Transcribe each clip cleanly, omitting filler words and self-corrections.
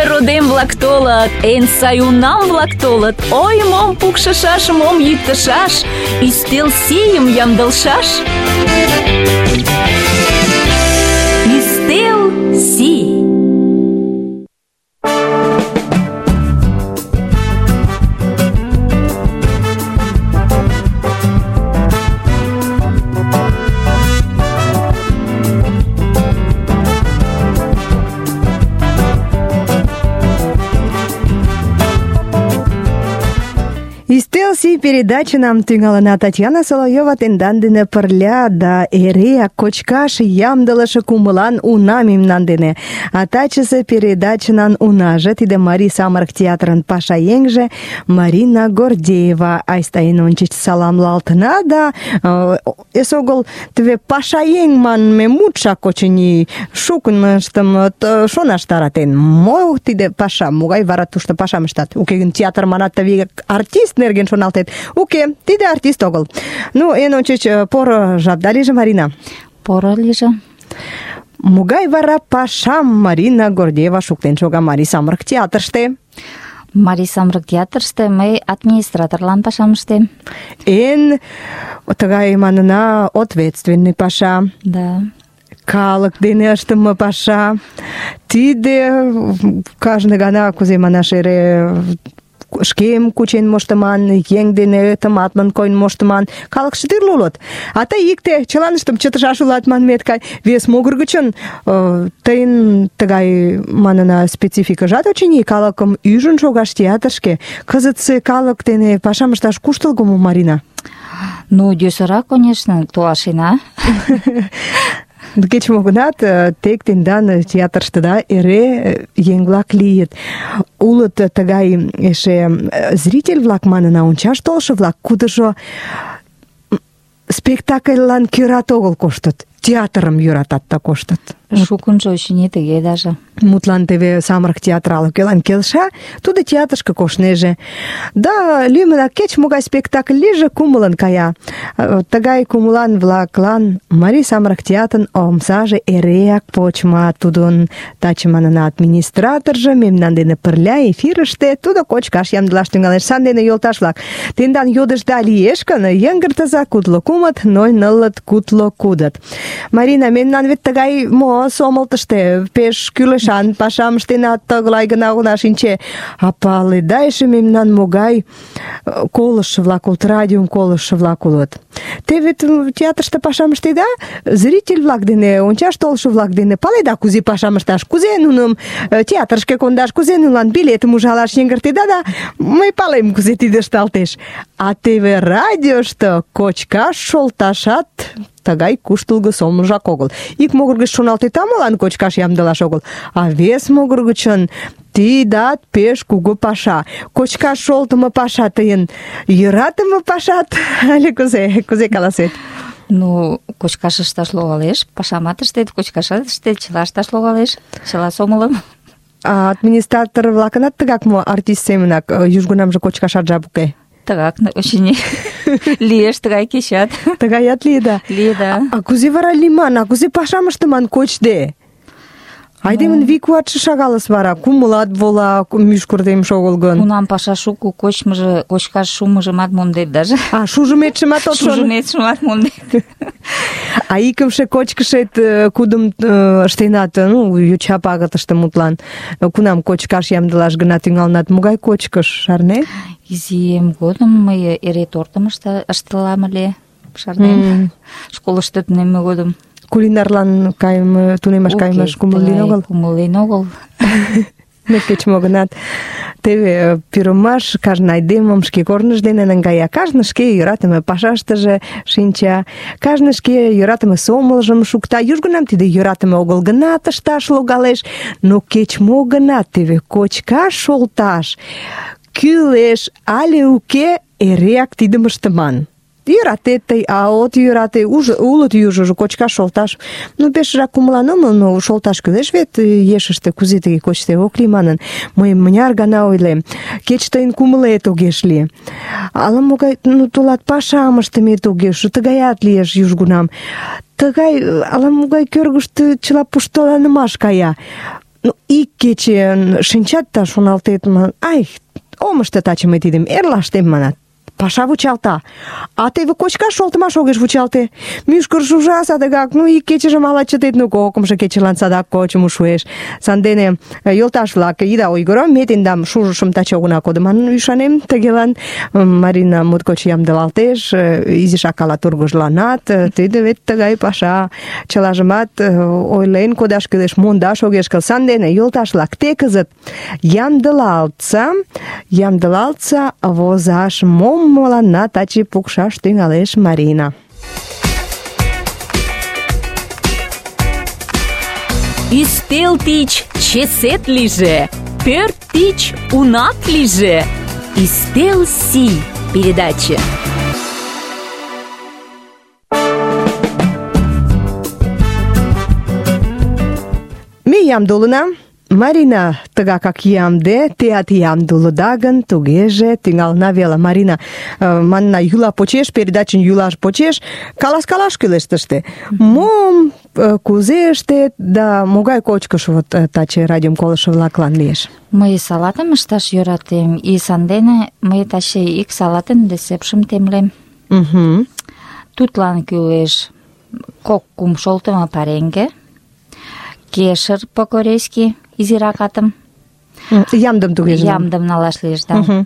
родем-влак толыт, эн сай унам-влак толыт. Ой, мом пукшышаш, мом йӱктышаш, ӱстел сийым ямдылшаш. Ӱстел сий. Ӱстел передачынам тӱҥалына. Татьяна Соловьёва тендан дене пырля да эреак кочкаш ямдылыше кумылан уна мемнан дене. А тачысе передачынан унаже тиде Марий самырык театрын пашаеҥже Марина Гордеева. Айста эн ончыч саламлалтына да эсогыл теве пашаеҥ манме мутшак, очыни, шукыныштым шонаш таратен. Мо тиде паша, могай вара тушто пашам ыштат? Уке гын театр манат теве артист нерген шоналтет. Уке, тиде артист огыл. Ну, эн ончыч поро жапда лийже, Марина. Поро лийже. Могай вара пашам Марина Гордеева шуктен шога Марий самырык театрыште? Марий самырык театрыште мый администраторлан пашам ыштем. Эн тыгай манына ответственный паша. Да. Калык дене ыштыме паша. Тиде кажне гана, кузе манаш, эре шкем кучен моштыман, еҥ дене тыматлын койын моштыман. Калыкше тӱрлӧ улыт. А тый икте чыланыштым чытышаш улат манмет гай. Вес могыр гычын тыйын тыгай манына спецификыжат, очыни, калыкым ӱжын шогаш театрышке. Кызытсе калык дене пашам ышташ куштылго мо, Марина? Ну, йӧсырак, конечно, толашена. Кеч-мо гынат, тек тендан театрыштыда эре еҥ-влак лийыт. Улыт тыгай эше зритель-влак манына, ончаш толшо-влак, кудыжо спектакльлан кӧрат огыл коштыт, театрым йӧратат да коштыт. Шукынжо, очыни, тыге даже. Мутлан теве самырык театрал кӧлан келша, тудо театрышке коштнеже. Да, лӱмынак кеч-могай спектакль лийже, кумылын кая. Тыгай кумылан-влаклан Марий самырык театрын омсаже эреак почма. Тудын таче манына администраторжо мемнан дене пырля эфирыште, тудо кочкаш ямдылаш тӱҥалеш. Сандене, йолташ-влак, тендан йодышда лиеш гын, йыҥгыртыза: кудло кумыт, ноль нылыт, кудло кудыт. Марина, мемнан вет тыгай сомылтыште пеш кӱлешан пашам ыштенат, тыглай гына огына шинче. А паледа эше мемнан могай колыштшо-влак улыт, радиом колыштшо-влак улыт. Те вет театрыште пашам ыштеда, зритель-влак дене, ончаш толшо-влак дене паледа, кузе пашам ышташ, кузе нуным театрышке кондаш, кузе нунылан билетым ужалаш йыҥгыртеда, да мый палем, кузе тиде ышталтеш. А теве радиошто кочкаш шолташат тыгай куштылго сомылжак огыл. Ик могыр гыч шоналтет, молан кочкаш ямдылаш огыл, а вес могыр гычын тидат пеш кугу паша. Кочкаш шолтымо паша тыйын йӧратыме пашат але кузе каласет? Ну, кочкаш ышташ логалеш, пашамат ыштет, кочкашат ыштет, чыла ышташ логалеш, чыла сомылым. А администратор-влакынат тыгак мо, артист семынак, южгунамже кочкашат жап уке? Тыгак, очыни, лиеш тыгай кечат. Тыгаят лиеда? Лиеда. А кузе вара лийман, а кузе пашам ыштыман кочде? Айдемын вий-куатше шагалыс вара, кумылат вола, мӱшкыр темше огыл гын. Кунам паша шуко, кочмыжо, кочкаш шумыжымат мондет даже. А шужыметшымат от шоно? Шужыметшымат мондет. А икымше кочкышет кудым ыштенат, ну, йоча пагытыште мутлан, кунам кочкаш ямдылаш гына тӱҥалынат, могай кочкыш, шарнет? Изием годым мый эре тортым ыштылам ыле, шарнем, школышто тунемме годым. Кулинарлан кайыме, тунемаш кайымаш кумыл лийын огыл? Кумыл лийын огыл. Ну, кеч-мо гынат, теве пӱрымаш кажне айдемым шке корныж дене наҥгая, кажне шке йӧратыме пашаштыже шинча, кажне шке йӧратыме сомылжым шукта. Южгунам тиде йӧратыме огыл гынат ышташ логалеш, но кеч-мо гынат теве кочкаш шолташ кӱлеш але уке, эреак тидым ыштыман. Йӧратет тый, а от йӧрате, улыт южыжо кочкаш шолташ. Ну, пешыжак кумылан омыл, но шолташ кӱлеш вет ешыште, кузе тыге кочде ок лий манын. Мый мыняр гана ойлем, кеч тыйын кумылет огеш лий. Ала-могай, ну, тулат пашам ыштымет огеш, тыгаят лиеш южгунам. Тыгай ала-могай кӧргыштӧ чыла пуштыланымаш кая. Ну, ик кече шинчат да шоналтет, ай, ом ыште таче мый тидым, эрла ыштем, манат. Паша вучалта. А теве кочкаш шолтымаш огеш вучалте. Мӱшкыр шужа садыгак, ик кечыжым ала чытет, кокымшо кечылан садак кочмо шуэш. Сандене, йолташ-влак, ида ойгыро, ме тендам шужышым таче огына кодо манын ӱшанем. Тыгелан Марина моткоч ямдылалтеш, изишак ала тургыжланат. Тиде вет тыгай паша. Чылажымат ойлен кодаш кӱлеш, мондаш огеш кӱл. Сандене, йолташ-влак, те кызыт ямдылалтса возаш мом мыланна таче пукшаш тӱҥалеш Марина. Ӱстел тич чесет лийже, пӧрт тич унат лийже. Ӱстел сий передача. Ме ямде улына. Марина тыгакак ямде, теат ямде улыда гын, тугеже тӱҥалына веле. Марина, манна, йӱла почеш, передачын йӱлаш почеш, каласкалаш кӱлеш тыште. Мом, кузе ыштет да могай кочкыш вот таче радиом колышо-влаклан лиеш? Мый салатым ышташ йӧратем, и сандене мый таче ик салатын рецептшым темлем. Тудлан кӱлеш 2-3 шолтымо пареҥге, кешыр по-корейски изиракатым. Ямдым тугеже. Ямдым налаш лиеш, да.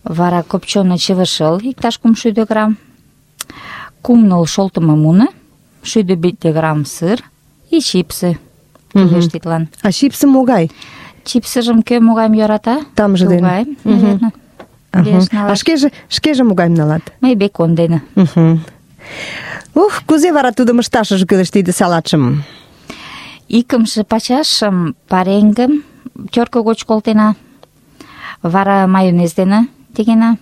Вара копченый чывышыл, иктаж 300 грамм, 3 шолтымо муно, 150 грамм сыр и чипсы. Кӱлеш тидлан. А чипсы могай? Чипсыжым кӧ могайым йӧрата? Тамже дене. Тугайым, наверно. А шкеже могайым налат? Мый бекон дене. Кузе вара тудым ышташыже кӱлеш тиде салатшым? Икымше пачашым пареҥгым тёрко гоч колтена, вара майонез дене тегена.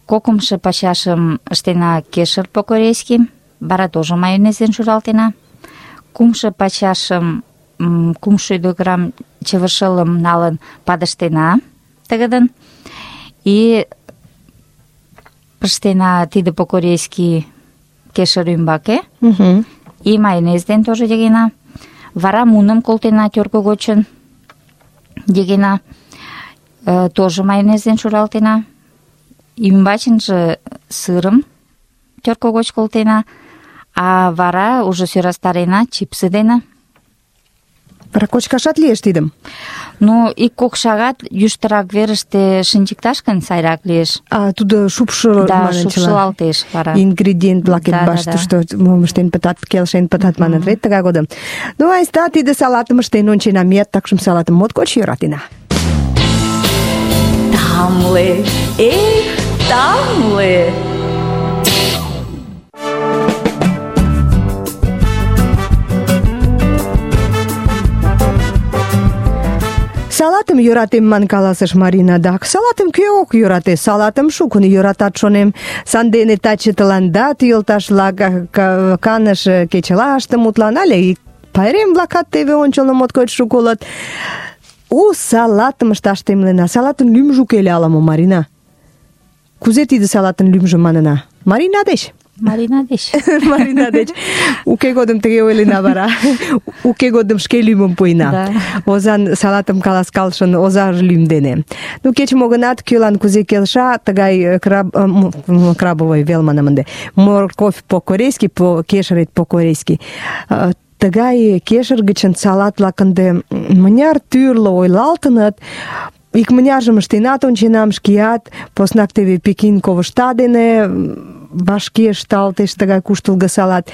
Кокымшо пачашым ыштена кешыр по-корейски, вара тоже майонез дене шуралтена. Кумшо пачашым 300 грамм чывышылым налын падыштена тыгыдын. И пыштена тиде по-корейски кешыр ӱмбаке. И майонез дене тоже тегена. Вара муным колтена тёрко гочын, дегена, тоже майонез дене шуралтена. Ӱмбачынже сырым тёрко гоч колтена, а вара уже сӧрастарена чипсы дене. Вара кочкашат лиеш тидым? 1-2 шагат йӱштырак верыште шинчыкташ гын сайрак лиеш. А тудо шупшыл, да, манын, шупшылалтеш вара. Ингредиент-влакет баштышто мом ыштен пытат, келшен пытат манын, вет тыгай годым. Айста тиде салатым ыштен ончена, меат такшым салатым моткоч йӧратена. Тамле, тамле. Салатым йӧратем ман каласыш Марина. Дак, салатым кӧ ок йӧрате? Салатым шукын йӧратат, шонем. Сандене таче тыланда, йолташ-влак, каныш кечылаште мутланале. Пайрем-влакат теве ончылно моткоч шуко улыт. Салатым ышташ темлена. Салатын лӱмжӧ уке ыле ала-мо, Марина? Кузе тиде салатын лӱмжӧ манына? Марина деч? Марина деч. Марина деч. Уке годым тыге ойлена вара. Уке годым шке лӱмым пуэна. Озан салатым каласкалышын оза лӱм дене. Кеч-мо гынат, кӧлан кузе келша, тыгай крабовый вел манам ынде. Морковь по-корейски, кешырет по-корейски. Тыгай кешыр гычын салат-влак ынде мыняр тӱрлӧ ойлалтыныт. Икмыняржым ыштенат онченам шкеат, поснак теве Пекин ковышта дене вашке ышталтеш тыгай куштылго салат.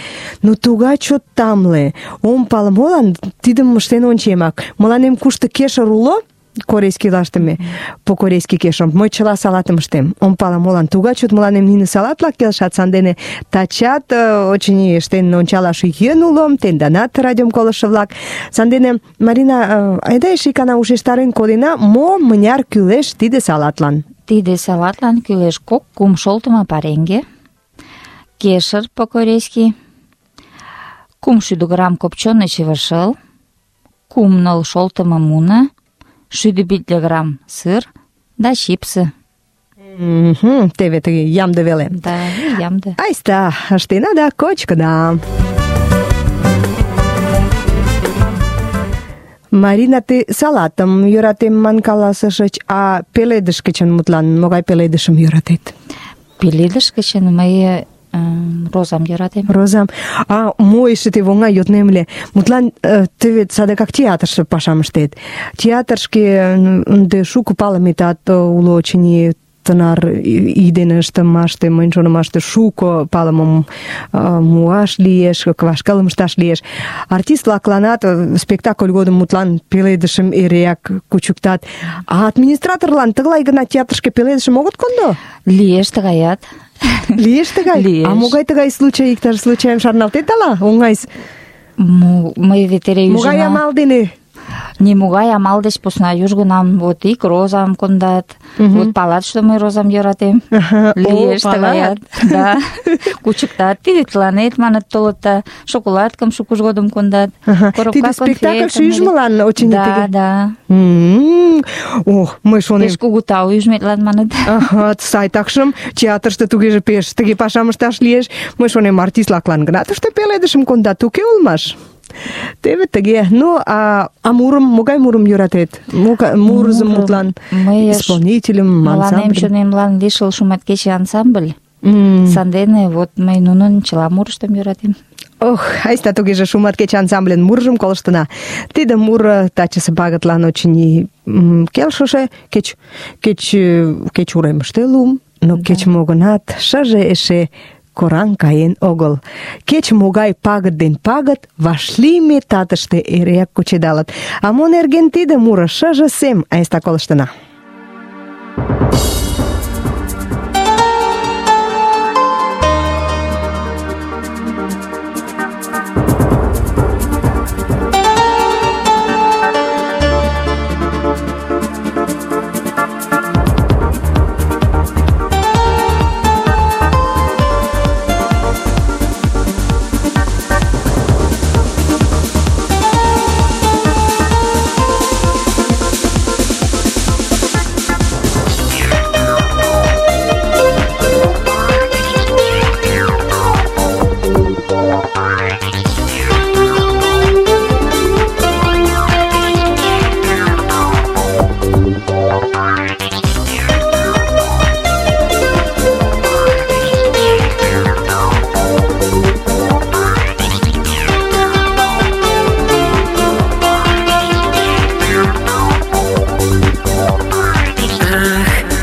Тугай чот тамле. Ом пале, молан тидым ыштен ончемак. Мыланем кушто кешыр уло, корейский лаштыме, по-корейски кешырым, мый чыла салатым ыштем. Ом пале, молан тугай чот мыланем нине салат-влак келшат, сандене тачат, очыни, ыштен ончалаш йӧн уло, тенданат радиом колышо-влак. Сандене, Марина, айда эше икана ушештарен кодена, мо мыняр кӱлеш тиде салатлан? Тиде салатлан кӱлеш 2-3 шолтымо пареҥге, кешыр по-корейски, 300 грамм копченый чывышыл, 3 шолтымо муно, 150 грамм сыр да чипсы. Теве тыге ямде веле. Да, ямде. Айста, ыштена да кочкына. Марина, тый салатым йӧратем ман каласышыч, а пеледыш гычын мутлан могай пеледышым йӧратет? Пеледыш гычын мый розам йӧратем. Розам. А мо эше тый оҥай йоднем ыле. Мутлан, тый вет садыгак театрыште пашам ыштет. Театрышке ынде шуко палыметат уло, очыни, тынар ий дене ыштымаште, мыйын шонымаште, шуко палымым муаш лиеш, вашкылым ышташ лиеш. Артист-влакланат спектакль годым мутлан пеледышым эреак кучыктат. А администраторлан тыглай гына театрышке пеледышым огыт кондо? Лиеш тыгаят. Лиеш тыгай? Лиеш. А могай тыгай случай, иктаж случайым шарналтет ала? Оҥайс. Мый вет эре ӱжына. Могай амал дене? Нимогай амал деч посна южгунам вот ик розам кондат. Вот палат, что мый розам йӧратем. Лиеш тыгаят. Да. Кучыктат. Тиде тыланет маныт толыт да шоколадкым шукыж годым кондат. Тиде спектакль шӱжмылан, очыни, тыге? Да. Ох, мый шонем. Пеш кугу тау ӱжметлан маныт. Сай, такшым театрыште тугеже пеш тыге пашам ышташ лиеш. Мый шонем, артистлаклан гына тыште пеледышым кондат, уке улмаш. Теве тыге. Ну, а мурым, могай мурым йӧратет? Мурызым мутлан, исполнителем, ансамблем? Мыланем чонемлан лишыл шуматкече ансамбль. Сандене вот мый нунын чыла мурыштым йӧратем. Ох, айста тугеже шуматкече ансамбльын мурыжым колыштына. Тиде муро тачысе пагытлан очыни келшыше, кеч уремыште лум, но кеч-мо гынат шыже эше кораҥ каен огыл. Кеч-могай пагыт ден пагыт вашлийме татыште эреак кучедалыт. А мо нерген тиде муро шыже сем? Айста колыштына.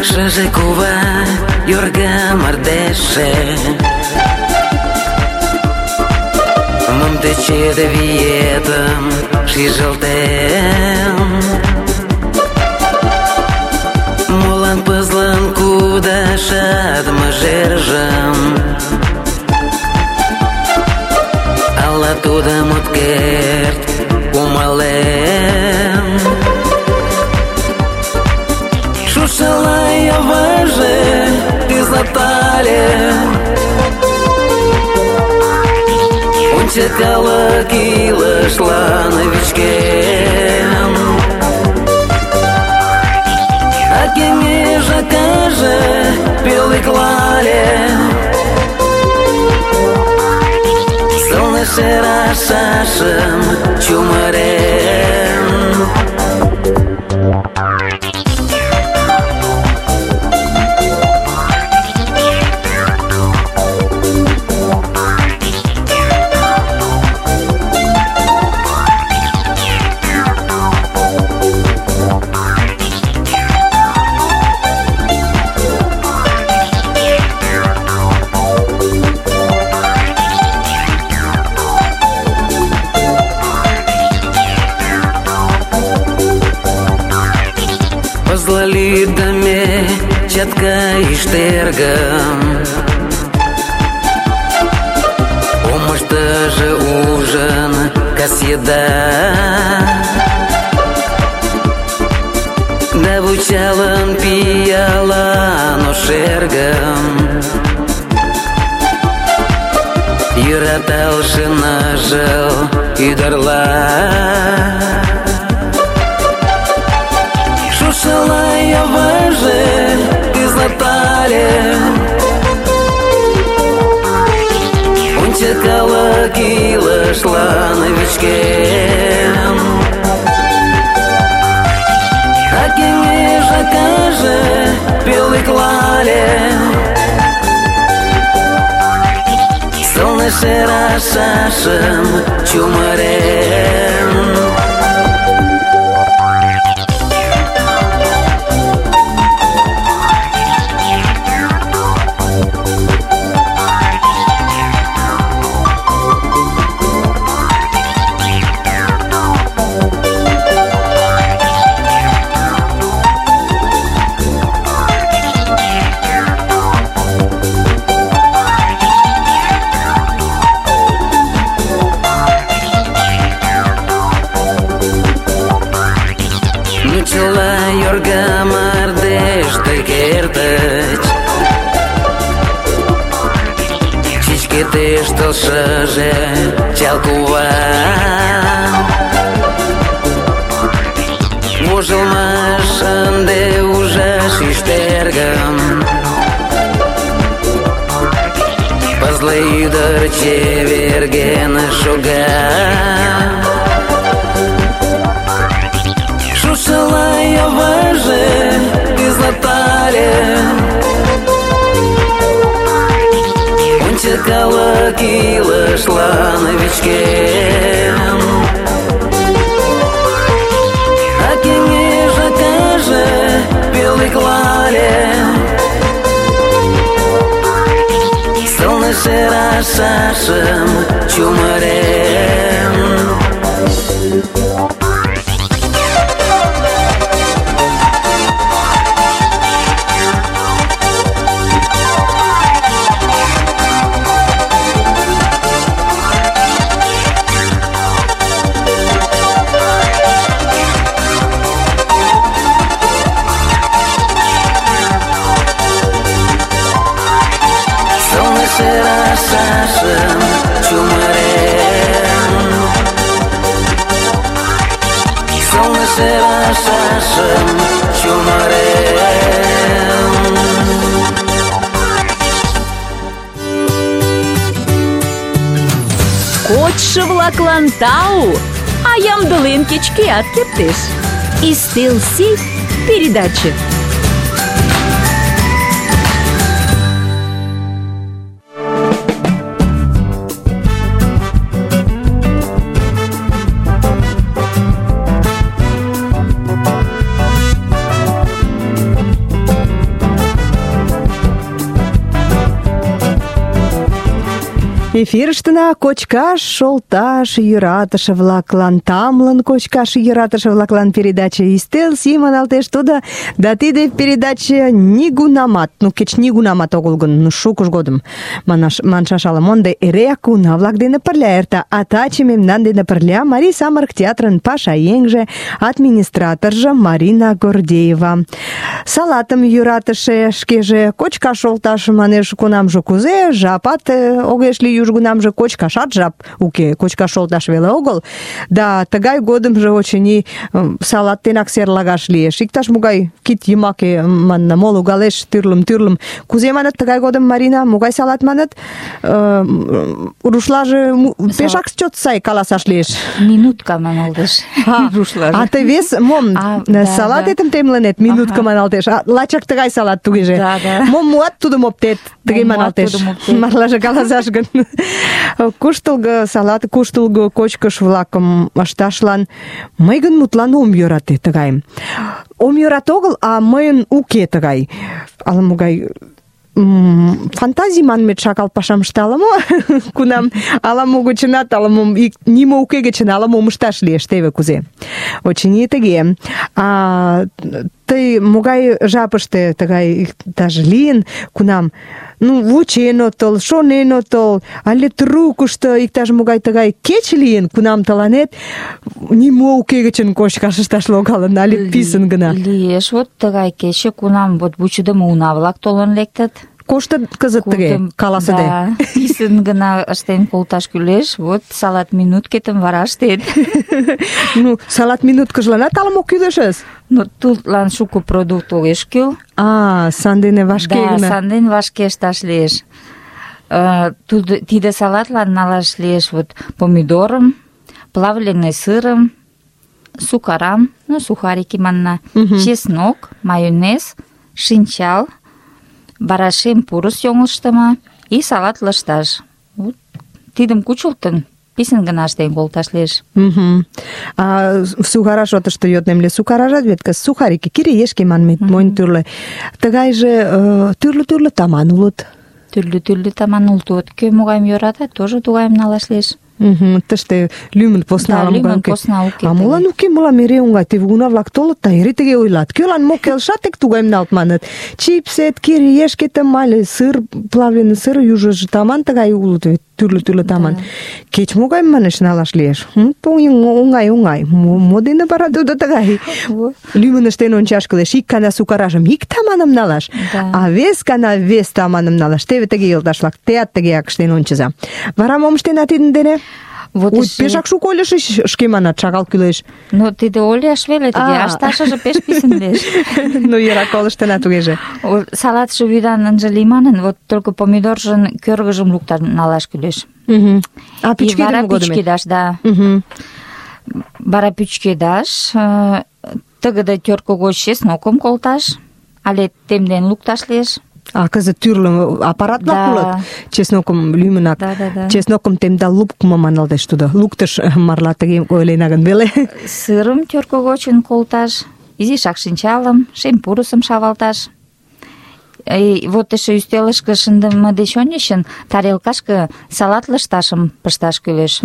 Шыже кува йорга мардежше Мом тече виетым шижылтем Молан пызлын кудашат мыжержым Ала тудым от керт кумалем Шушала йывыже тӱзлатале Ончыкалык илышлан вичкем А кеҥеж акаже пӧлеклале Сылне шерашашым чумырен Лидаме чатка иштергам Омыштыже ужын кас еда Да вучалын пиалан ошергым Йӧраталше ныжыл ӱдырла Шушала йывыже тӱзлатале Ончыкалык илышлан вичкем Сылне шерашашым чумырен. Тыштылшыже чал кува вожылмаш ынде ужаш ӱштергым. Пызле ӱдыр чеверген шога, шушыла йывыже тӱзлатале. Калык илышлан вичкен, а кеҥеж акаже пӧлеклале. Сылне шерашашым чумырен. Шерашашым чумырен. Сылне шерашашым чумырен. Кочшо-влаклан тау, а ямдылен кеч-кӧат кертеш. Ӱстел сий передаче. Эфирыштына кочкаш шолташ йӧратыше-влаклан, тамлын кочкаш йӧратыше-влаклан передаче «Ӱстел сий» маналтеш тудо, да тиде передаче нигунамат, кеч нигунамат огыл гын, шукыж годым маншаш ала-мо, ынде эреак уна-влак дене пырля эрта. А таче мемнан дене пырля Марий самырык театрын пашаеҥже, администраторжо Марина Гордеева. Салатым йӧратыше, шкеже кочкаш шолташ манеш, кунамже кузе, жапат огеш лий, южгунамже кочкашат жап уке, кочкаш шолташ веле огыл. Да тыгай годымжо, очыни, салат денак серлагаш лиеш. Иктаж-могай кид йымаке, манна, мо логалеш, тӱрлым. Кузе маныт тыгай годым, Марина, могай салат маныт? Рушлаже пешак чот сай каласаш лиеш. Минутка маналтеш рушлаже. А тый вес мом салатетым темлынет, минутка маналтеш. Лачак тыгай салат тугеже. Мом муат, тудым оптет, тыге маналтеш. Марлаже каласаш гын. Куштылго салат, куштылго кочкыш-влакым ышташлан мый гын мутлан ом йӧрате тыгайым. Ом йӧрат огыл, а мыйын уке тыгай. Ала-могай фантазий манмет шагал пашам ышта ала-мо, кунам ала-мо гычынат, ала-мо нимо уке гычын ала-мом ышташ лиеш, теве кузе. Очыни тыге. Тый могай жапыште тыгай даже лийын, кунам вучен отыл, шонен отыл, але трукышто иктаж-могай тыгай кече лийын, кунам тыланет нимо уке гычын кочкаш ышташ логалын, але писын гына. Лиеш, вот тыгай кече, кунам вот вучыдымо уна-влак толын лектыт. Коштыт кызыт тыге, каласыде. Да, писын гына ыштен колташ кӱлеш, вот салат минуткетым вара ыштет. Салат минуткыжланат ала-мо кӱлешыс? Тудлан шуко продукт огеш кӱл. Сандене вашке гына. Да, санден вашке ышташ лиеш. Тиде салатлан налаш лиеш вот помидорым, плавленый сырым, сукарам, сухарики манна, чеснок, майонез, шинчал, барашем пурыс йоҥылыштымо и салат лышташ. Вот тидым кучылтын, писын гына ыштен колташ лиеш. А сухара шотышто йоднем ыле. Сухаражат вет кыз сухарики, кириешке манмет, монь тӱрлӧ. Тыгайже тӱрлӧ таман улыт. Тӱрлӧ таман улыт. Кӧ могайым йӧрата, тоже тугайым налаш лиеш. Тыште лӱмын посна уке. А молан уке, мылам эре оҥай. Теве уна-влак толыт да эре тыге ойлат. Кӧлан мо келша, тек тугайым налт маныт. Чипсет, кириешкетым але сыр, плавленый сыр южыжо таман тыгай улыт вет. Тӱрлӧ таман. Кеч-могайым, манеш, налаш лиеш. Оҥай. Мо дене вара тудо тыгай? Лӱмын ыштен ончаш кӱлеш. Ик гана сукаражым ик таманым налаш, а вес гана вес таманым налаш. Теве тыге, йолташ-влак, теат тыгеак ыштен ончыза. Вара мом ыштена тидын дене? Пешак шуко ойлышыч, шке манат, шагал кӱлеш. Но тиде ойлаш веле, тиде ышташыже пеш писын лиеш. Ну, йӧра, колыштына тугеже. Салатше вӱдан ынже лий манын, вот только помидоржын кӧргыжым лукташ налаш кӱлеш. А пӱчкедыме годым? Пӱчкедаш, да. Вара пӱчкедаш, тыгыде тӧркӧ гоч чеснокым колташ, але темден лукташ лиеш. А кызыт тӱрлӧ аппарат-влак улыт. Чеснокым лӱмынак. Чеснокым темдал луктмо маналтеш тудо. Луктыш марла тыге ойлена гын веле. Сырым тӧркӧ гочын колташ, изишак шинчалым, шем пурысым шавалташ. Вот эше ӱстелышке шындыме деч ончычын тарелкашке салат лышташым пышташ кӱлеш.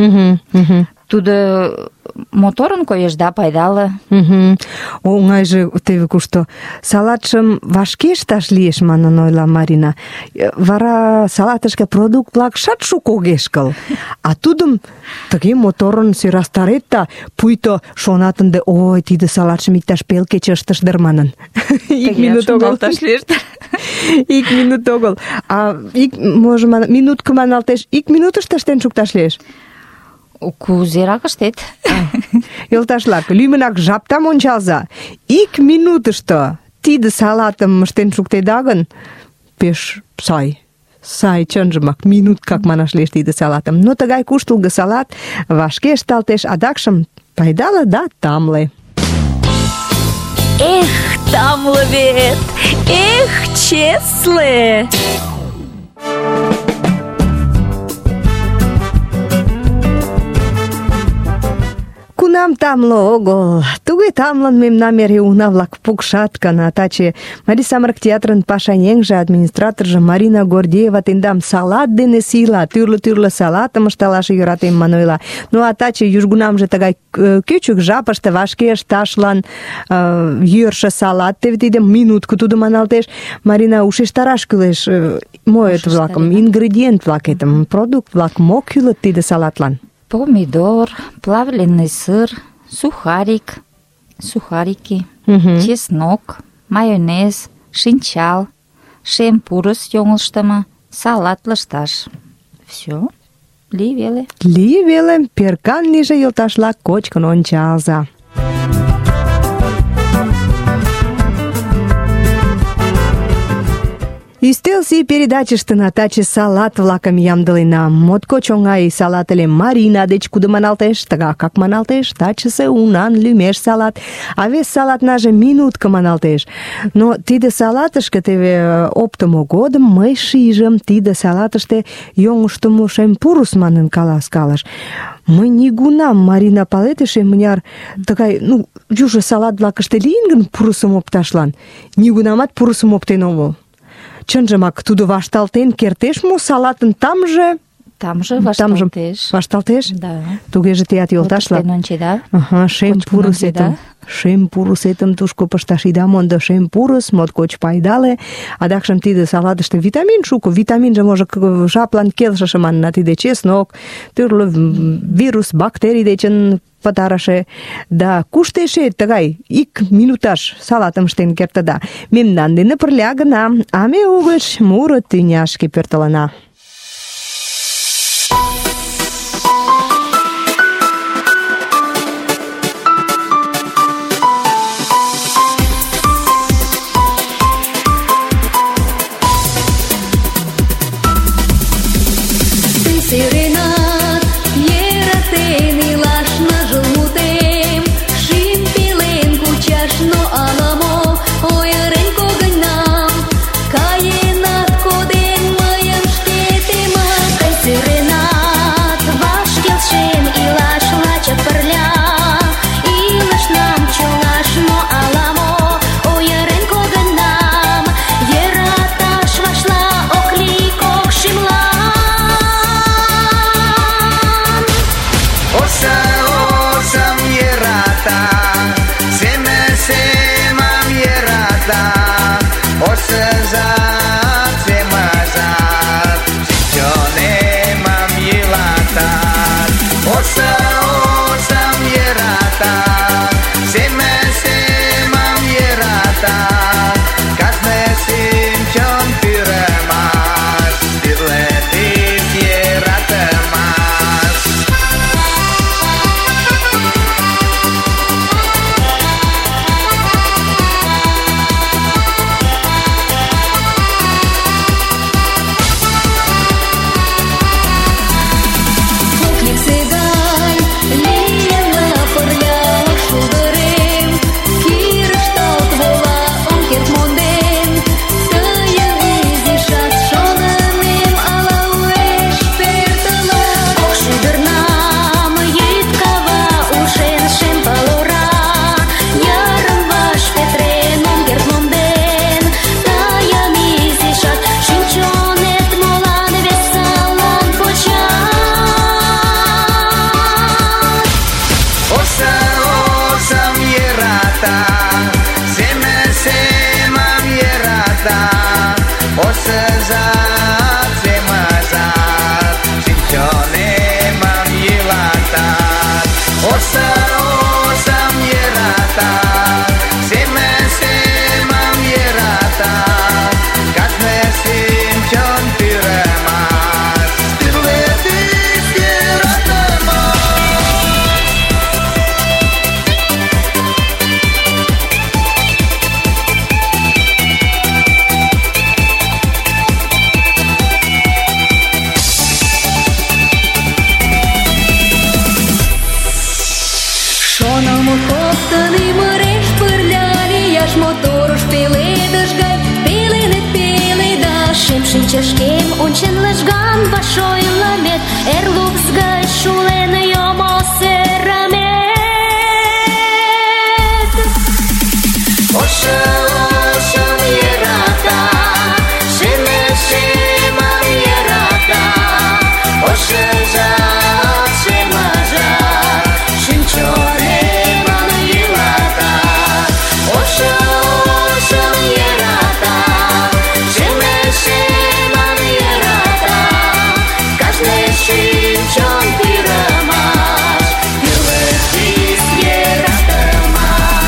Тудо моторын коеш да пайдале. Оҥайже теве кушто. Салатшым вашке ышташ лиеш, манын ойла Марина. Вара салатышке продукт-влак шат шуко огеш кыл. А тудым тыге моторын сӧрастарет да, пуйто шонат ынде, ой, тиде салатшым иктаж пел кече ыштыш дыр манын. Ик минут огыл. Ик минут огыл. А минутко маналтеш, ик минутышто ыштен шукташ лиеш. Кузерак ыштет? Йолташлак, лӱмынак жаптам ончалза. Ик минутышто тиде салатым ыштен шуктеда гын, пеш сай, чынжымак, минуткак манаш лиеш тиде салатым. Но тыгай куштылго салат вашке ышталтеш, адакшым пайдале да тамле. Эх, тамле вет! Эх, чесле! Кунам тамле огыл. Туге тамлын мемнам эре уна-влак пукшат гына. Таче Марий самырык театрын пашаеҥже, администраторжо Марина Гордеева тендам салат дене сийла, тӱрлӧ салатым ышталаш йӧратем ман ойла. Ну а таче южгунамже тыгай кӱчык жапыште вашке ышташлан йӧршӧ салат, теве тиде минутко тудо маналтеш. Марина, ушештараш кӱлеш моэт-влакым, ингредиент-влакетым, продукт-влак мо кӱлыт тиде салатлан? Помидор, плавленый сыр, сухарики, чеснок, майонез, шинчал, шем пурыс йоҥылыштымо, салат лышташ. Все. Лий веле. Перкан лийже, йолташлак, кочкын ончалза. Ӱстел сий передачыштына таче салат-влакым ямдылена. Моткоч оҥай салат ыле. Марина деч кудо маналтеш, тыгакак маналтеш, тачысе унан лӱмеш салат, а вес салатнаже минутко маналтеш. Но тиде салатышке теве оптымо годым мый шижым, тиде салатыште йоҥыштымо шем пурыс манын каласкалыш. Мый нигунам, Марина, палет эше мыняр тыгай, южо салат-влакыште лийын гын пурысым опташлан, нигунамат пурысым оптен омыл. Чынжымак, тудо вашталтен кертеш мо салатын тамже? Тамже вашталтеш. Вашталтеш? Да. Тугеже теат йолташлак. Вот ончеда. Шем пурысетым тушко пышташ ида мондо. Шем пурыс моткоч пайдале. Адакшым тиде салатыште витамин шуко. Витаминже можо жаплан келшыше манына. Тиде чеснок, тӱрлӧ вирус, бактерий дечын пытарыше. Да кушто эше тыгай ик минуташ салатым ыштен кертыда. Мемнан дене пырля гына, а ме угыч муро тӱняшке пӧртылына. Сиренат, йӧратен илаш ныжыл мутем, шӱм пелен кучаш, но ала-мо ойырен когыньнам, каенат коден мыйым шке йӧрата, семым йӧрата, кажне шинчон пӱрымаш, тӱрлӧ тӱс йӧратымаш. Лексе гай лийына пырля шулдырем, кирышталт вола ом керт монден. Тыйын изишат шонымем ала уэш пӧртылын. Ок шӱдырнам йӱд кава ушен шем пыл ора, йырым-ваш петырен ом керт монден. Тыйын изишат шӱм-чонет молан веселан почат? Ошам йӧрата, семым йӧрата, ошыжат, семыжат, шинчонемым йӱлатат. Ошам йӧрата, семым йӧрата, кажне шинчон пӱрымаш, тӱрлӧ тӱс йӧратымаш. Шоналмо коктын ӱмыреш пырля лияш, моторыш пеледыш гай пеленет пеледаш. Шем шинчашкем ончен лыжган ваш ойлымет, эр лупс гай шулен йомо серымет. Ошам йӧрата, семым йӧрата, ошыжат, семыжат, шинчонемым йӱлатат. Ошам йӧрата, семым йӧрата, кажне шинчон пӱрымаш, тӱрлӧ тӱс йӧратымаш,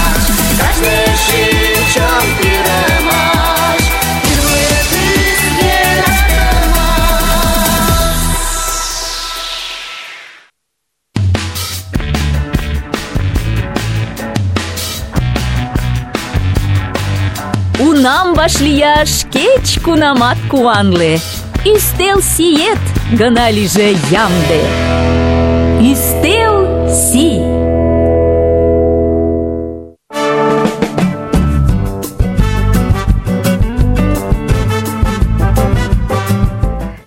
кажне шинчон пӱрымаш, тӱрлӧ тӱс йӧратымаш. Унам вашлияш кеч-кунамат куанле. Ӱстел сиет гына лийже ямде. Ӱстел сий.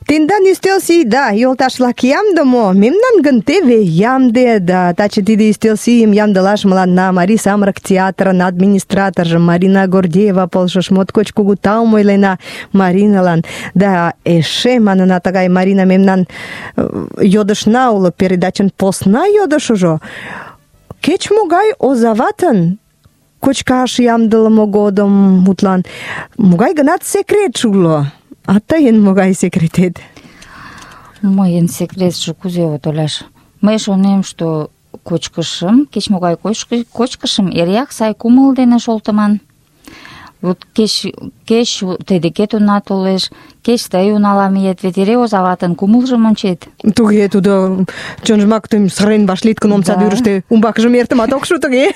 Тендан ӱстел сийда, йолташ-влак, ямде мо? Мемнан гын теве ямде, да таче тиде ӱстел сийым ямдылаш мыланна Марий самырык театрын администраторжо Марина Гордеева полшыш. Моткоч кугу таум ойлена Мариналан. Да эше, манына, тыгай Марина мемнан йодышна уло, передачын посна йодышыжо. Кеч-могай озаватын кочкаш ямдылыме годым, мутлан, могай гынат секретше уло. А тыйын могай секретет? Мыйын секретше кузе от ойлаш? Мый шонем, что кочкышым, кеч-могай кочкышым эреак сай кумыл дене шолтыман. Вот кеч тый декет уна толеш, кеч тый унала миет, вет эре озаватын кумылжым ончет. Туге, тудо чынжымак тыйым сырен вашлийыт гын, омсадӱрыштӧ умбакыжым эртымат ок шу, тыге.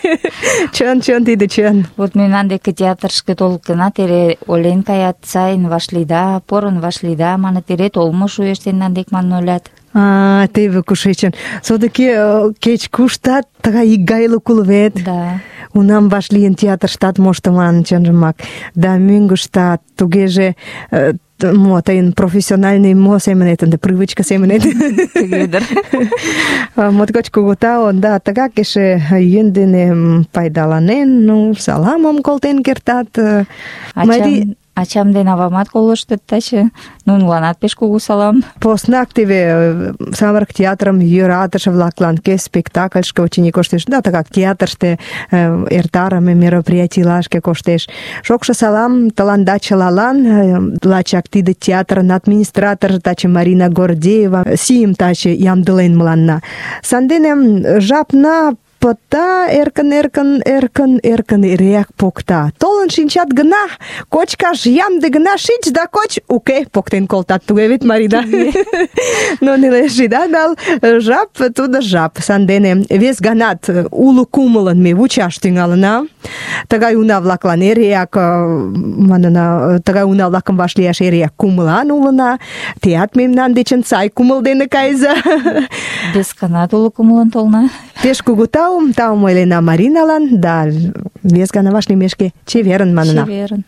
Чын, тиде чын. Вот мемнан деке театрышке толыт гынат, эре ойлен каят, сайын вашлийда, порын вашлийда, маныт, эре толмо шуэш тендан дек манын ойлат. Теве кушечын. Содыки кеч-куштат тыгай икгайлык уло вет. Да. Унам вашлийын театрыштат моштыман, чынжымак. Да мӧҥгыштат тугеже мо тыйын профессиональный мо семынет, ынде привычка семынет. Моткоч кугу тау, да, тыгак эше йӧн дене пайдаланен, ну, саламым колтен кертат. Ачам ден авамат колыштыт таче. Нуныланат пеш кугу салам. Поснак теве самырык театрым йӧратыше-влаклан кӧ спектакльышке очыни коштеш, да тыгак театрыште эртарыме мероприятийлашке коштеш. Шокшо салам тыланда чылалан. Лачак тиде театрын администраторжо таче Марина Гордеева сийым таче ямдылен мыланна. Сандене жапна пота, эркын эреак покта. Толын шинчат гына, кочкаш ямде гына шич да коч, уке, поктен колтат. Туге вет, Марида? Но нелеш ида нал, жап тудо жап. Сандене вес ганат уло кумылын ме вучаш тӱҥалына. Тыгай уна-влаклан эреак, манына, тыгай уна-влакым вашлияш эреак кумылан улына. Теат мемнан дечын сай кумыл дене кайыза. Вес ганат уло кумылын толна. Пеш кугу таум ойлена Мариналан, да вес гана вашлиймешке чеверын манына. Чеверын.